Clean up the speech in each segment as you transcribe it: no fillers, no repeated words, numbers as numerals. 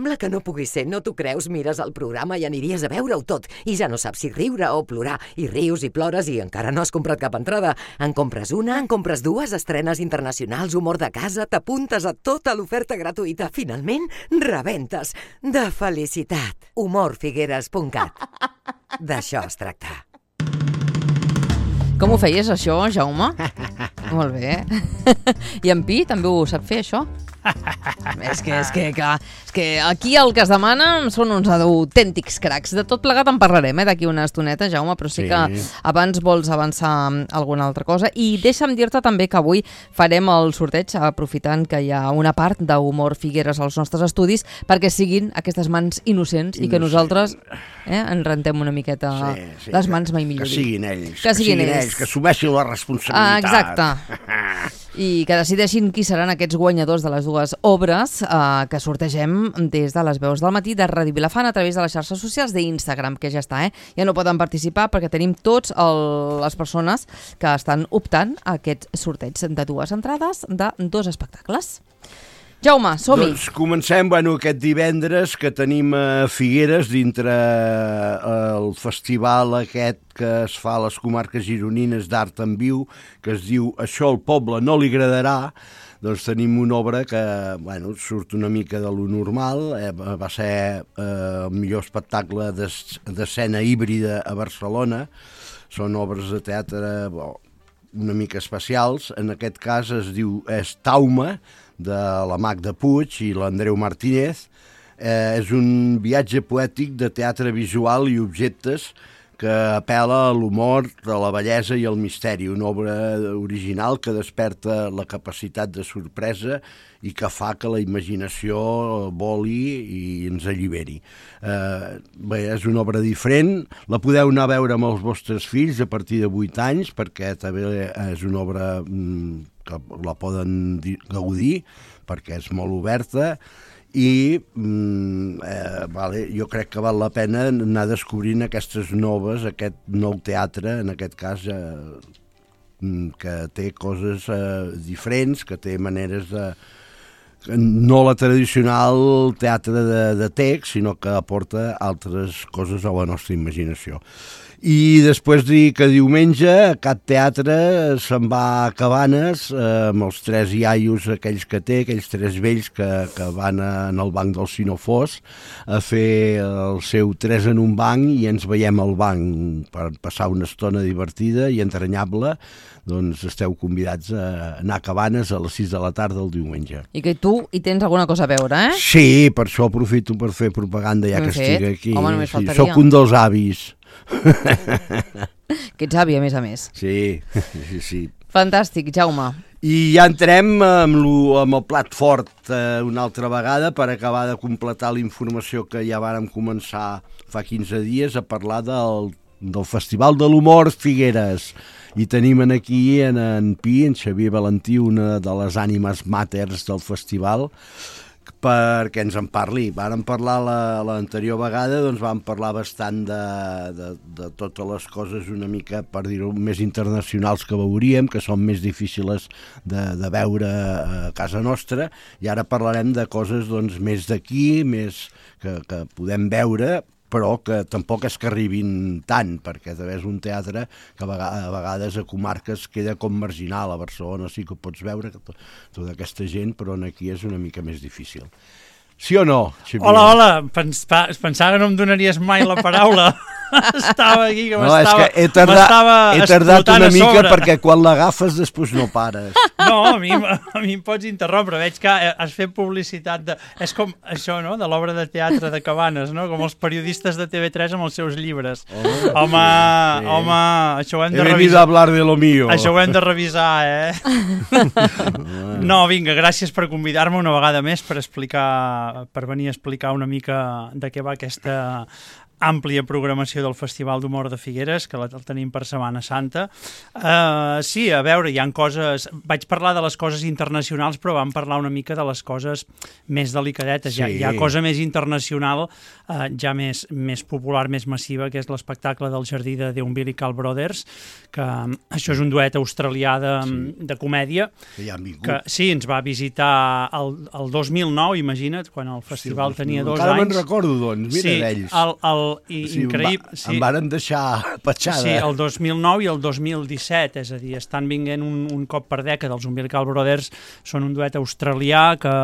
Sembla que no pugui ser, no t'ho creus? Mires el programa i aniries a veure-ho tot i ja no saps si riure o plorar. I rius i plores i encara no has comprat cap entrada. En compres una, en compres dues, estrenes internacionals, humor de casa, t'apuntes a tota l'oferta gratuïta. Finalment, rebentes. De felicitat. Humorfigueres.cat. D'això es tracta. Com ho feies, això, Jaume? Molt bé. I en Pi també ho sap fer, això? És que aquí el que es demana són uns autèntics cracs. De tot plegat en parlarem d'aquí una estoneta, Jaume, però sí que abans vols avançar alguna altra cosa. I deixa'm dir-te també que avui farem el sorteig, aprofitant que hi ha una part d'Humor Figueres als nostres estudis, perquè siguin aquestes mans innocents i que nosaltres ens rentem una miqueta les mans, mai millor dir. Que siguin ells, que assumeixin la responsabilitat. Exacte. I que decideixin qui seran aquests guanyadors de les dues obres que sortegem des de les veus del matí de Ràdio Vilafant a través de les xarxes socials d'Instagram, que ja està, ja no poden participar perquè tenim tots les persones que estan optant a aquest sorteig de dues entrades de dos espectacles. Jaume, som-hi. Doncs comencem, aquest divendres que tenim a Figueres dintre el festival aquest que es fa a les comarques gironines d'Art en Viu, que es diu Això al poble no li agradarà. Doncs tenim una obra que surt una mica de lo normal, va ser el millor espectacle d'escena híbrida a Barcelona. Són obres de teatre una mica especials. En aquest cas és Tauma, de la Magda Puig i l'Andreu Martínez. És un viatge poètic de teatre visual i objectes que apel·la a l'humor, a la bellesa i al misteri. Una obra original que desperta la capacitat de sorpresa i que fa que la imaginació voli i ens alliberi. És una obra diferent, la podeu anar a veure amb els vostres fills a partir de 8 anys, perquè també és una obra que la poden gaudir, perquè és molt oberta, i jo crec que val la pena anar descobrint aquestes noves, aquest nou teatre, en aquest cas, que té coses diferents, que té maneres de... no la tradicional teatre de text, sinó que aporta altres coses a la nostra imaginació. I després dir que diumenge Cat Teatre se'n va a Cabanes amb els 3 iaios aquells que té, aquells 3 vells que van en el banc del Sinofós a fer el seu 3 en un banc i ens veiem al banc per passar una estona divertida i entranyable. Doncs esteu convidats a anar a Cabanes a les 6 de la tarda el diumenge. I que tu hi tens alguna cosa a veure, eh? Sí, per això aprofito per fer propaganda ja que estic aquí. Home, només faltaria. Soc un dels avis. Que ets avi, a més. Sí. Fantàstic, Jaume. I ja entrem amb el plat fort una altra vegada per acabar de completar la informació que ja vàrem començar fa 15 dies a parlar del Festival de l'Humor Figueres. I tenim aquí en Pi, en Xavier Valentí, una de les ànimes màters del festival, perquè ens en parli. Vàrem parlar l'anterior vegada, doncs vam parlar bastant de totes les coses una mica, per dir-ho, més internacionals que veuríem, que són més difícils de veure a casa nostra, i ara parlarem de coses doncs, més d'aquí, més que podem veure, però que tampoc és que arribin tant, perquè també és un teatre que a vegades a comarques queda com marginal. A Barcelona sí que ho pots veure, tota aquesta gent, però aquí és una mica més difícil. Sí o no, Xavier? Hola, pensava que no em donaries mai la paraula. Estava aquí que m'estava he tardat una mica perquè quan l'agafes després no pares. No, a mi em pots interrompre. Veig que has fet publicitat és com això, no?, de l'obra de teatre de Cabanes, no?, com els periodistes de TV3 amb els seus llibres. Home, això ho hem de revisar. He venido a hablar de lo mío. Això ho hem de revisar, No, vinga, gràcies per convidar-me una vegada més per venir a explicar una mica de què va aquesta àmplia programació del Festival d'Humor de Figueres, que el tenim per Setmana Santa. Sí, a veure, hi ha coses... Vaig parlar de les coses internacionals, però vam parlar una mica de les coses més delicadetes. Sí. Hi ha cosa més internacional, ja més popular, més massiva, que és l'espectacle del Jardí de The Umbilical Brothers, que això és un duet australià de comèdia, Que ja han vingut. que sí, ens va visitar el 2009, imagina't, quan el festival tenia 2 anys. Encara me'n recordo, doncs, mira d'ells. Increïble. Em varen deixar petjada. Sí, el 2009 i el 2017, és a dir, estan vinguent un cop per dècada. Els Umbilical Brothers són un duet australià que,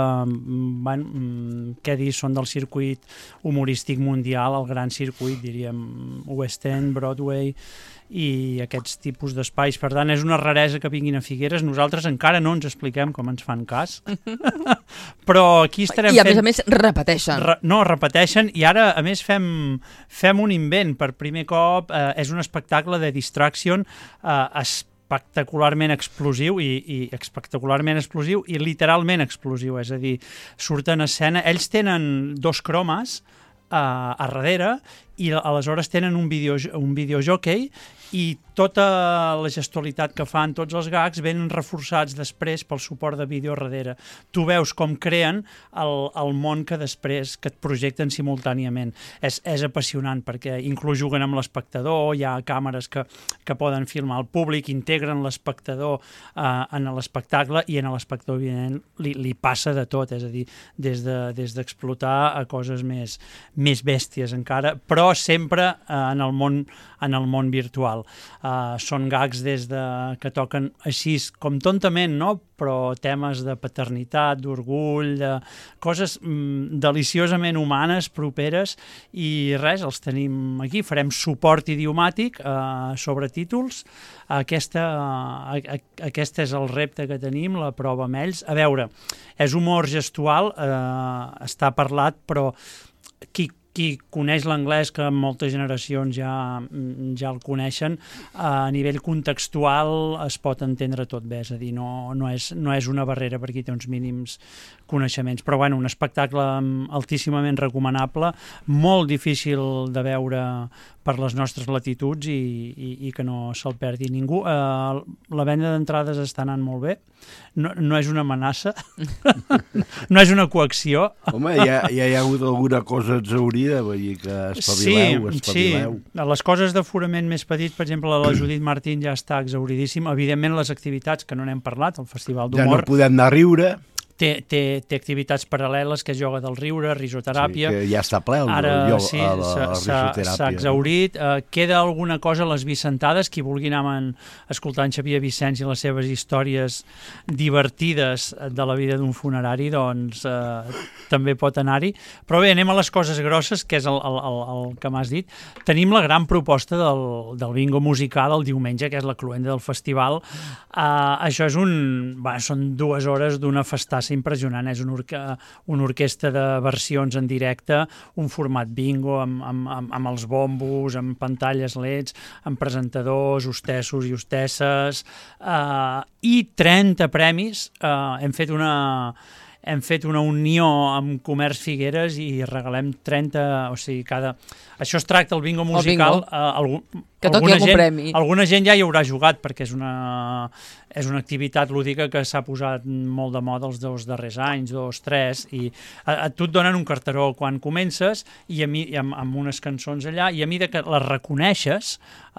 què dir, són del circuit humorístic mundial, el gran circuit, diríem, West End, Broadway i aquests tipus d'espais. Per tant, és una raresa que vinguin a Figueres. Nosaltres encara no ens expliquem com ens fan cas, però aquí estarem I a més repeteixen. Repeteixen, i ara a més fem un invent per primer cop. És un espectacle de Distraction espectacularment explosiu i espectacularment explosiu i literalment explosiu, és a dir, surten a escena, ells tenen 2 cromes a darrere i aleshores tenen un videojockey i tota la gestualitat que fan, tots els gags, venen reforçats després pel suport de vídeo darrere. Tu veus com creen el món que després que et projecten simultàniament. És apassionant perquè inclús juguen amb l'espectador, hi ha càmeres que poden filmar el públic, integren l'espectador en l'espectacle i en l'espectador, evidentment, li passa de tot, és a dir, des d'explotar a coses més bèsties encara, però sempre en el món virtual. Són gags que toquen així com tontament, no? Però temes de paternitat, d'orgull, de coses deliciosament humanes, properes, i res, els tenim aquí. Farem suport idiomàtic sobre títols. Aquest és el repte que tenim, la prova amb ells. A veure, és humor gestual, està parlat, però qui coneix l'anglès, que moltes generacions ja el coneixen, a nivell contextual es pot entendre tot bé, és a dir, no és una barrera per qui té uns mínims coneixements, però bueno, un espectacle altíssimament recomanable, molt difícil de veure per les nostres latituds i que no se'l perdi ningú. La venda d'entrades està anant molt bé, no és una amenaça, no és una coacció. Home, ja hi ha hagut alguna cosa exhaurida, vull dir que espavileu. Sí, les coses d'aforament més petit, per exemple, la Judit Martín ja està exhauridíssima. Evidentment, les activitats, que no n'hem parlat, el Festival d'Humor... Ja no podem anar a riure. Té activitats paral·leles, que és ioga del riure, risoteràpia. Sí, que ja està ple Ara la risoteràpia. S'ha exhaurit. Queda alguna cosa a les Vicentades. Qui vulgui anar escoltant Xavier Vicenç i les seves històries divertides de la vida d'un funerari, doncs també pot anar-hi. Però bé, anem a les coses grosses, que és el que m'has dit. Tenim la gran proposta del bingo musical el diumenge, que és la cloenda del festival. Això són 2 hores d'una festassa impressionant, és una orquestra de versions en directe, un format bingo amb els bombos, amb pantalles LEDs, amb presentadors, hostessos i hostesses, i 30 premis. Hem fet una unió amb Comerç Figueres i regalem 30, o sigui, això es tracta, el bingo musical, que toqui algun premi. Alguna gent ja hi haurà jugat, perquè és una activitat lúdica que s'ha posat molt de moda els 2 darrers anys, 2, 3, i a tu et donen un carteró quan comences i amb unes cançons allà, i a mesura que les reconeixes,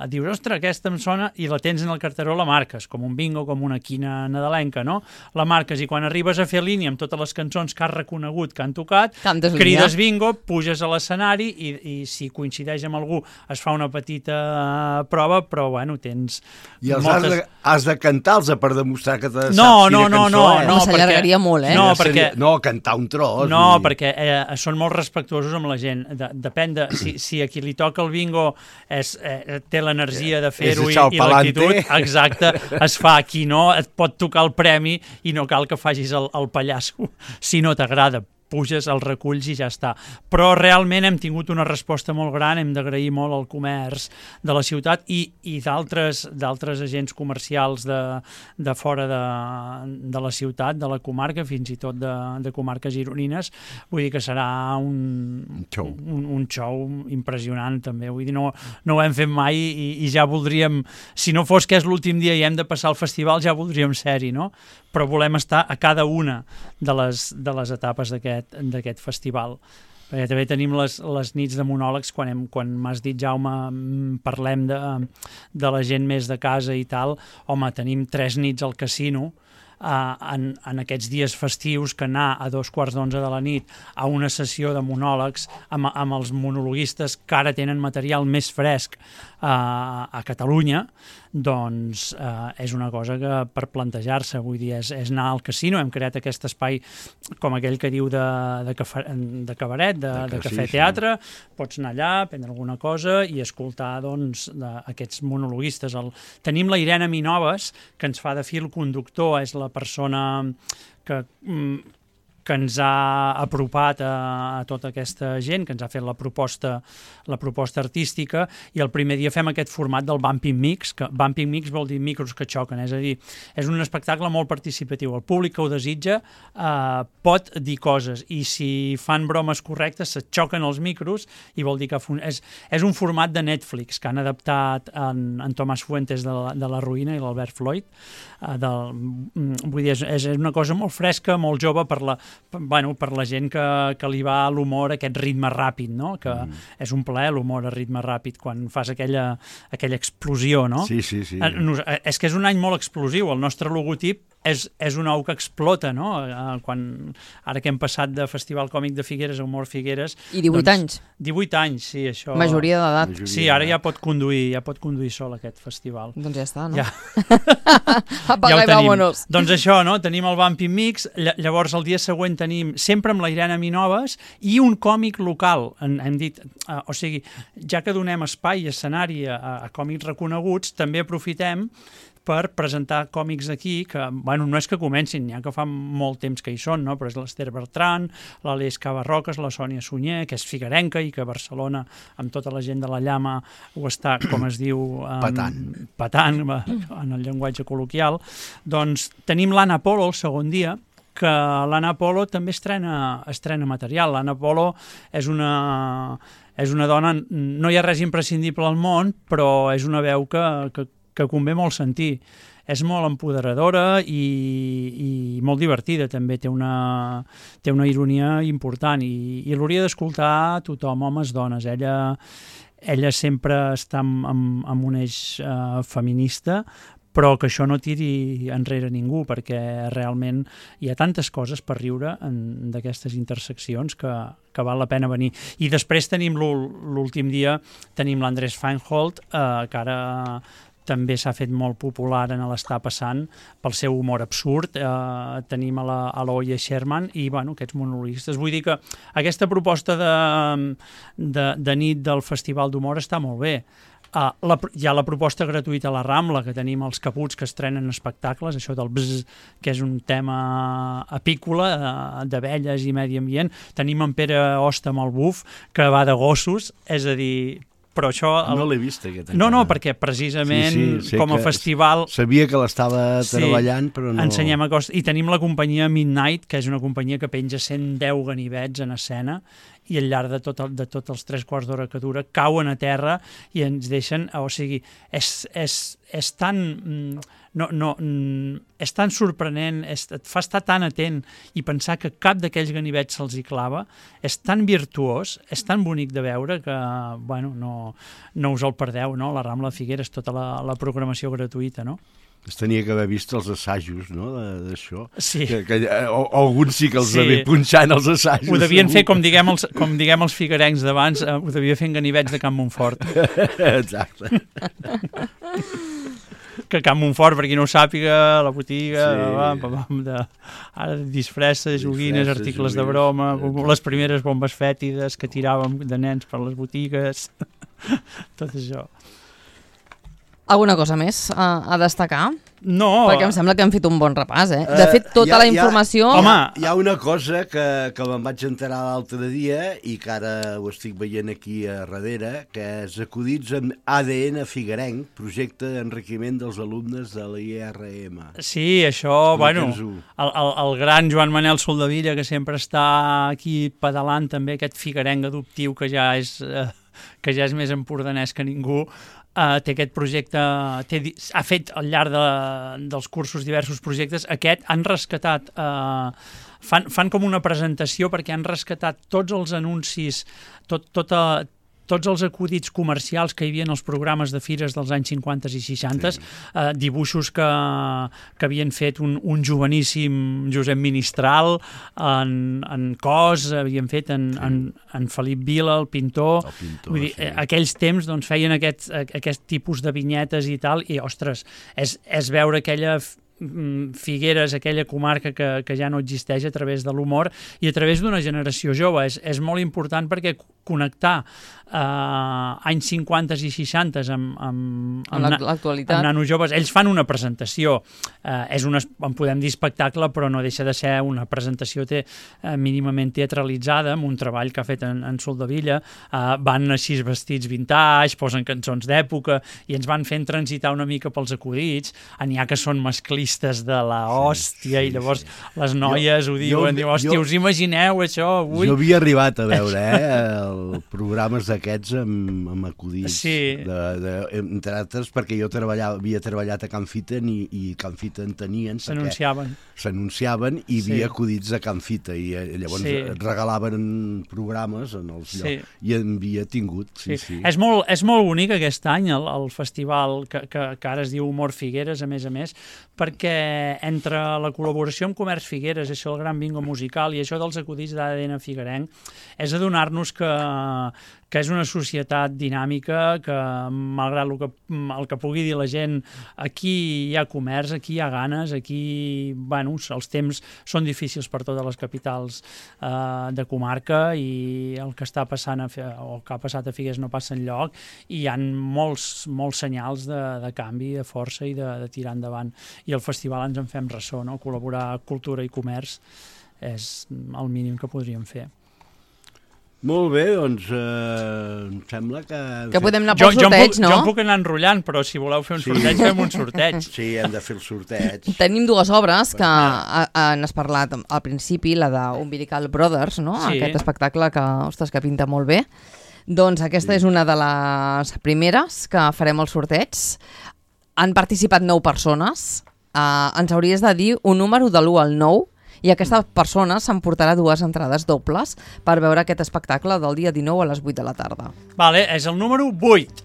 dius, ostres, aquesta em sona, i la tens en el carteró, la marques, com un bingo, com una quina nadalenca, no? La marques, i quan arribes a fer línia amb totes les cançons que has reconegut, que han tocat, crides bingo, puges a l'escenari i si coincideix amb algú es fa una petita prova, però bueno, tens... I has de cantar-los per demostrar que te saps quina cançó és. No, s'allargaria molt, eh? No, cantar un tros. No, perquè són molt respectuosos amb la gent. Depèn de... Si a qui li toca el bingo té l'energia de fer-ho i l'actitud, exacte, es fa. Qui no, et pot tocar el premi i no cal que facis el pallasso si no t'agrada. puges, el reculls i ja està. Però realment hem tingut una resposta molt gran, hem d'agrair molt al comerç de la ciutat i d'altres agents comercials de fora de la ciutat, de la comarca, fins i tot de comarques gironines. Vull dir que serà un show impressionant també. Vull dir, no ho hem fet mai i ja voldríem, si no fos que és l'últim dia i hem de passar al festival, ja voldríem ser-hi, no? Però volem estar a cada una de les etapes d'aquest festival. Perquè també tenim les nits de monòlegs, quan m'has dit, Jaume, parlem de la gent més de casa i tal, home, tenim 3 nits al casino, en aquests dies festius, que anar a 2:15 de la nit a una sessió de monòlegs amb els monologuistes que ara tenen material més fresc a Catalunya, doncs és una cosa que per plantejar-se, vull dir, és anar al casino. Hem creat aquest espai, com aquell que diu de cabaret, de cafè-teatre, pots anar allà, prendre alguna cosa i escoltar, doncs, aquests monologuistes. Tenim la Irene Minoves, que ens fa de fil conductor, és la persona que ens ha apropat a tota aquesta gent, que ens ha fet la proposta artística, i el primer dia fem aquest format del Bumping Mix, que Bumping Mix vol dir micros que xoquen, és a dir, és un espectacle molt participatiu. El públic que ho desitja pot dir coses, i si fan bromes correctes se xoquen els micros, i vol dir que és un format de Netflix que han adaptat en Tomàs Fuentes de La Ruïna i l'Albert Floyd. Vull dir, és una cosa molt fresca, molt jove per la gent que li va l'humor, aquest ritme ràpid, no? Que és un plaer l'humor a ritme ràpid, quan fas aquella explosió, no? Sí. És que és un any molt explosiu. El nostre logotip és un ou que explota, no? Ara que hem passat de Festival Còmic de Figueres a Humor Figueres... I 18 anys. 18 anys, sí, això... Majoria d'edat. Sí, ara ja pot conduir sol aquest festival. Doncs ja està, no? Ja. Apaga i vámonos. Doncs això, no? Tenim el Bumping Mix, llavors el dia següent tenim sempre amb la Irene Minoves i un còmic local. Hem dit, o sigui, ja que donem espai i escenari a còmics reconeguts, també aprofitem per presentar còmics aquí, que, no és que comencin, ja que fa molt temps que hi són, no? Però és l'Ester Bertran, l'Aleix Cavarroques, la Sònia Sunyer, que és figuerenca i que a Barcelona, amb tota la gent de la Llama, ho està, com es diu... Patant, en el llenguatge col·loquial. Doncs tenim l'Anna Polo el segon dia, que l'Anna Polo també estrena material. L'Anna Polo és una dona... No hi ha res imprescindible al món, però és una veu que convé molt sentir. És molt empoderadora i molt divertida, també. Té una ironia important i l'hauria d'escoltar tothom, homes, dones. Ella sempre està amb un eix feminista, però que això no tiri enrere ningú, perquè realment hi ha tantes coses per riure d'aquestes interseccions que val la pena venir. I després tenim l'últim dia, tenim l'Andrés Feinhold, que ara també s'ha fet molt popular en l'Està passant pel seu humor absurd. Tenim a l'Oia Sherman i aquests monologuistes. Vull dir que aquesta proposta de nit del Festival d'Humor està molt bé. Hi ha la proposta gratuïta a la Rambla, que tenim els Caputs que estrenen espectacles, això del bzz, que és un tema apícola d'abelles i medi ambient. Tenim en Pere Hosta amb el Buf, que va de gossos, és a dir... Però això... No l'he vist, aquest. No, perquè precisament com a festival... Sabia que l'estava treballant, però no... Ensenyem a costa. I tenim la companyia Midnight, que és una companyia que penja 110 ganivets en escena, i al llarg de tots els 3 quarts d'hora que dura cauen a terra i ens deixen... O sigui, és tan... és tan sorprenent, et fa estar tan atent i pensar que cap d'aquells ganivets se'ls hi clava, és tan virtuós, és tan bonic de veure que, no us el perdeu, no? La Rambla de Figueres, tota la programació gratuïta, no? Es tenia que haver vist els assajos, no?, d'això. Sí. Alguns sí que els devien punxar en els assajos. Ho devien fer, com diguem els figuerencs d'abans, ho devia fer en ganivets de Can Montfort. Exacte. Que Can Montfort, per qui no ho sàpiga, la botiga, ara disfresses, joguines, articles de broma, les primeres bombes fètides que tiràvem de nens per les botigues, tot això. Alguna cosa més a destacar? No. Perquè em sembla que hem fet un bon repàs, eh? De fet, tota la informació... Hi ha una cosa que me'n vaig enterar l'altre dia i que ara ho estic veient aquí a darrere, que és acudits amb ADN Figuerenc, projecte d'enriquiment dels alumnes de l'IRM. Sí, això, bueno, el gran Joan Manel Soldevilla, que sempre està aquí pedalant també aquest figuerenc adoptiu que ja és més empordanès que ningú, té aquest projecte, ha fet al llarg dels cursos diversos projectes. Aquest han rescatat, fan com una presentació perquè han rescatat tots els anuncis, tots els acudits comercials que hi havia en els programes de fires dels anys 50 i 60, dibuixos que havien fet un joveníssim Josep Ministral, en Cos, havien fet en Felip Vila, el pintor. Vull dir, aquells temps doncs, feien aquest tipus de vinyetes i tal, i, ostres, és veure aquella Figueres, aquella comarca que ja no existeix a través de l'humor i a través d'una generació jove. És molt important perquè connectar anys 50 i 60 amb l'actualitat, amb nanos joves. Ells fan una presentació, en podem dir espectacle, però no deixa de ser una presentació mínimament teatralitzada, amb un treball que ha fet en Soldevilla. Van així vestits vintage, posen cançons d'època i ens van fent transitar una mica pels acudits. N'hi ha que són masclistes de la hòstia i llavors les noies ho diuen, hòstia, us imagineu això avui? Jo havia arribat a veure programes d'aquests amb acudits, entre altres perquè jo havia treballat a Can Fita i Can Fita en tenien, s'anunciaven i hi havia acudits de Can Fita i llavors regalaven programes en els llocs i en havia tingut. És molt bonic aquest any el festival que ara es diu Humor Figueres, a més, perquè entre la col·laboració amb Comerç Figueres, això del gran bingo musical i això dels acudits d'ADN Figuerenc, és adonar-nos que és una societat dinàmica, que malgrat el que pugui dir la gent, aquí hi ha comerç, aquí hi ha ganes, aquí els temps són difícils per totes les capitals de comarca i el que està passant o que ha passat a Figueres no passa enlloc i hi ha molts senyals de canvi, de força i de tirar endavant. I el festival ens en fem ressò, no? Col·laborar cultura i comerç és el mínim que podríem fer. Molt bé, doncs em sembla que podem anar pel sorteig, no? Jo em puc anar enrotllant, però si voleu fer un sorteig, fem un sorteig. Sí, hem de fer el sorteig. Tenim dues obres que n'has parlat al principi, la d'Umbilical Brothers, no? Aquest espectacle que pinta molt bé. Doncs aquesta és una de les primeres que farem el sorteig. Han participat 9 persones. Ens hauries de dir un número de l'1 al 9 i aquesta persona s'emportarà 2 entrades dobles per veure aquest espectacle del dia 19 a les 8 de la tarda. Vale, és el número 8.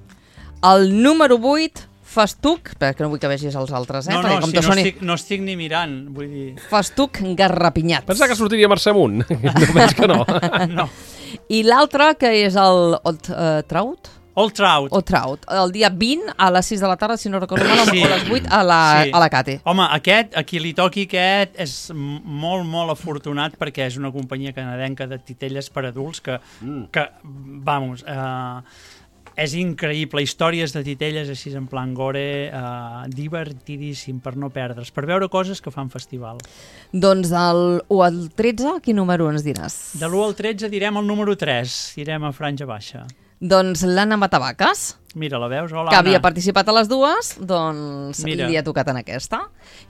El número 8, Festuc, perquè no vull que vegis els altres, no estic ni mirant, vull dir... Festuc Garrapinyats. Pensa que sortiria Mercè Munt, no veig que no. No. I l'altre, que és el Traut? Old Trout. El dia 20 a les 6 de la tarda, si no recordo mal, o a les 8 a la Cate. Home, a qui li toqui aquest és molt, molt afortunat perquè és una companyia canadenca de titelles per adults que vamos, és increïble. Històries de titelles així en plan gore, divertidíssim per no perdre's, per veure coses que fan festival. Doncs del 1 al 13, quin número ens diràs? De l'1 al 13 direm el número 3, direm a franja baixa. Doncs l'Anna Matavaques, mira, la veus? Hola, que Anna. havia participat a les dues, doncs li ha tocat en aquesta.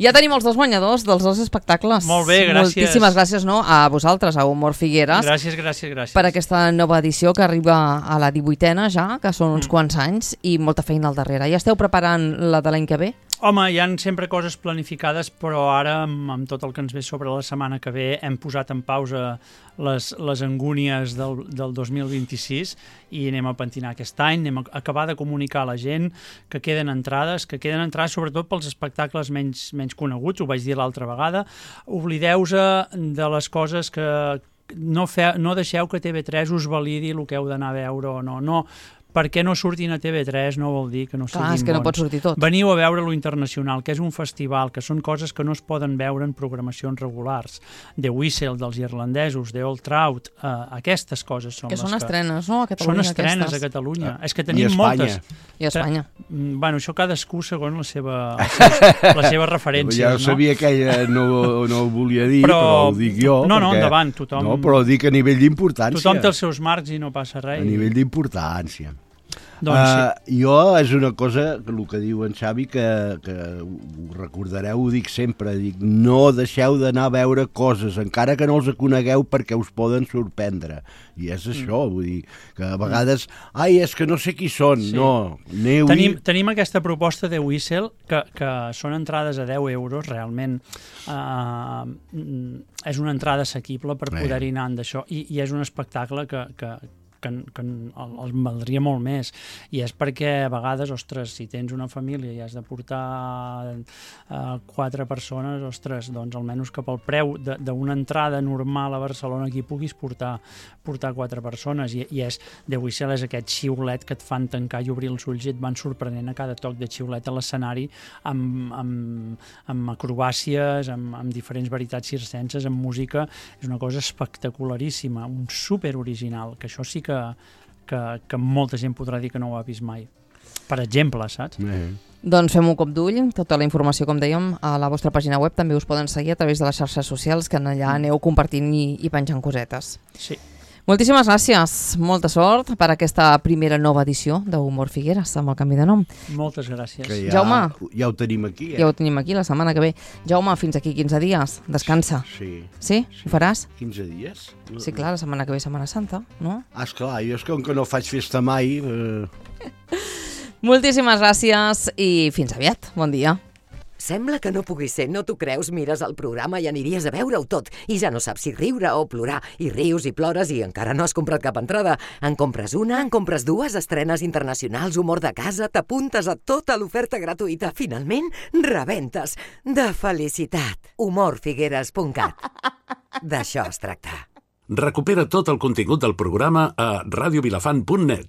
Ja tenim els 2 guanyadors dels 2 espectacles. Molt bé, gràcies. Moltíssimes gràcies a vosaltres, a Humor Figueres. Gràcies. Per aquesta nova edició que arriba a la 18a ja, que són uns quants anys, i molta feina al darrere. Ja esteu preparant la de l'any que ve? Home, hi ha sempre coses planificades, però ara, amb tot el que ens ve sobre la setmana que ve, hem posat en pausa les angúnies del 2026 i anem a pentinar aquest any, anem a acabar de comunicar a la gent que queden entrades sobretot pels espectacles menys coneguts, ho vaig dir l'altra vegada. Oblideu-se de les coses que no deixeu que TV3 us validi el que heu d'anar a veure o no. perquè no surtin a TV3 no vol dir que no siguin bons. És que no pot sortir tot. Veniu a veure lo internacional, que és un festival, que són coses que no es poden veure en programacions regulars. The Whistle, dels irlandesos, The Old Trout, aquestes coses són que les són estrenes, no? A Catalunya, són estrenes aquestes. a Catalunya. És que tenim moltes. I a Espanya. Bueno, això cadascú segons les seves referències. Ja sabia que ella no ho volia dir, però ho dic jo. No, endavant, tothom... No, però ho dic a nivell d'importància. Tothom té els seus marcs i no passa res. A nivell d'importància. Doncs sí. Jo és una cosa, el que diu en Xavi, que ho recordareu, ho dic sempre, no deixeu d'anar a veure coses, encara que no els conegueu, perquè us poden sorprendre. I és això, vull dir, que a vegades, és que no sé qui són, sí. No, aneu-hi. Tenim aquesta proposta de Whistle, que són entrades a 10 euros, realment és una entrada assequible per poder-hi anar d'això, i és un espectacle que els valdria molt més, i és perquè a vegades, ostres, si tens una família i has de portar 4 persones, ostres, doncs almenys que pel preu d'una entrada normal a Barcelona aquí puguis portar 4 persones, i és The Whistle és aquest xiulet que et fan tancar i obrir els ulls i et van sorprenent a cada toc de xiulet a l'escenari, amb acrobàcies, amb diferents veritats circenses, amb música. És una cosa espectacularíssima, un super original, que això sí que molta gent podrà dir que no ho ha vist mai. Per exemple, saps? Doncs fem un cop d'ull, tota la informació, com dèiem, a la vostra pàgina web, també us poden seguir a través de les xarxes socials, que allà aneu compartint i penjant cosetes. Sí. Moltíssimes gràcies, molta sort per aquesta primera nova edició d'Humor Figueres, amb el canvi de nom. Moltes gràcies. Que Jaume, ja ho tenim aquí, Ja ho tenim aquí la setmana que ve. Jaume, fins aquí 15 dies, descansa. Sí. Sí? Ho faràs? 15 dies? Sí, clar, la setmana que ve Setmana Santa, no? Esclar, jo és com que no faig festa mai... Moltíssimes gràcies i fins aviat. Bon dia. Sembla que no pugui ser, no t'ho creus? Mires el programa i aniries a veure-ho tot i ja no saps si riure o plorar, i rius i plores i encara no has comprat cap entrada. En compres una, en compres dues, estrenes internacionals, humor de casa, t'apuntes a tota l'oferta gratuïta. Finalment, rebentes de felicitat. humorfigueres.cat. D'això es tracta. Recupera tot el contingut del programa a radiovilafant.net.